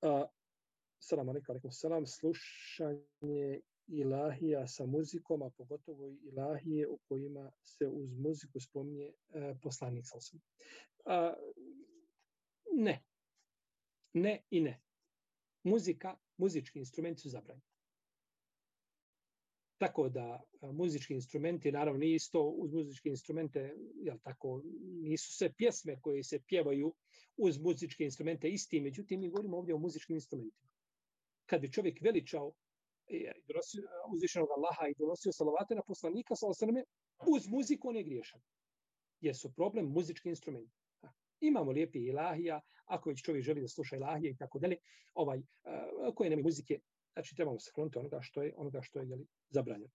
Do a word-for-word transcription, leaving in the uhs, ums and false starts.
A, salam alaikum, alaikum salam, slušanje ilahija sa muzikom, a pogotovo ilahije u kojima se uz muziku spominje e, poslanik sallallahu alejhi ve sellem. Ne. Ne i ne. Muzika, muzički instrumenti su zabranjeni. Tako da muzički instrumenti, naravno nije isto uz muzičke instrumente, jel tako, nisu sve pjesme koje se pjevaju uz muzičke instrumente isti, međutim mi govorimo ovdje o muzičkim instrumentima. Kad bi čovjek veličao uzvišenog Allaha i donosio salavate na poslanika, sallallahu uz muziku on je griješan. Jer su problem muzički instrumenti. Imamo lijepi ilahija, ako već čovjek želi da sluša ilahije i tako dalje, ovaj, koje nema muzike, znači trebamo se kloniti onoga što je, onoga što je jeli, zabranjeno.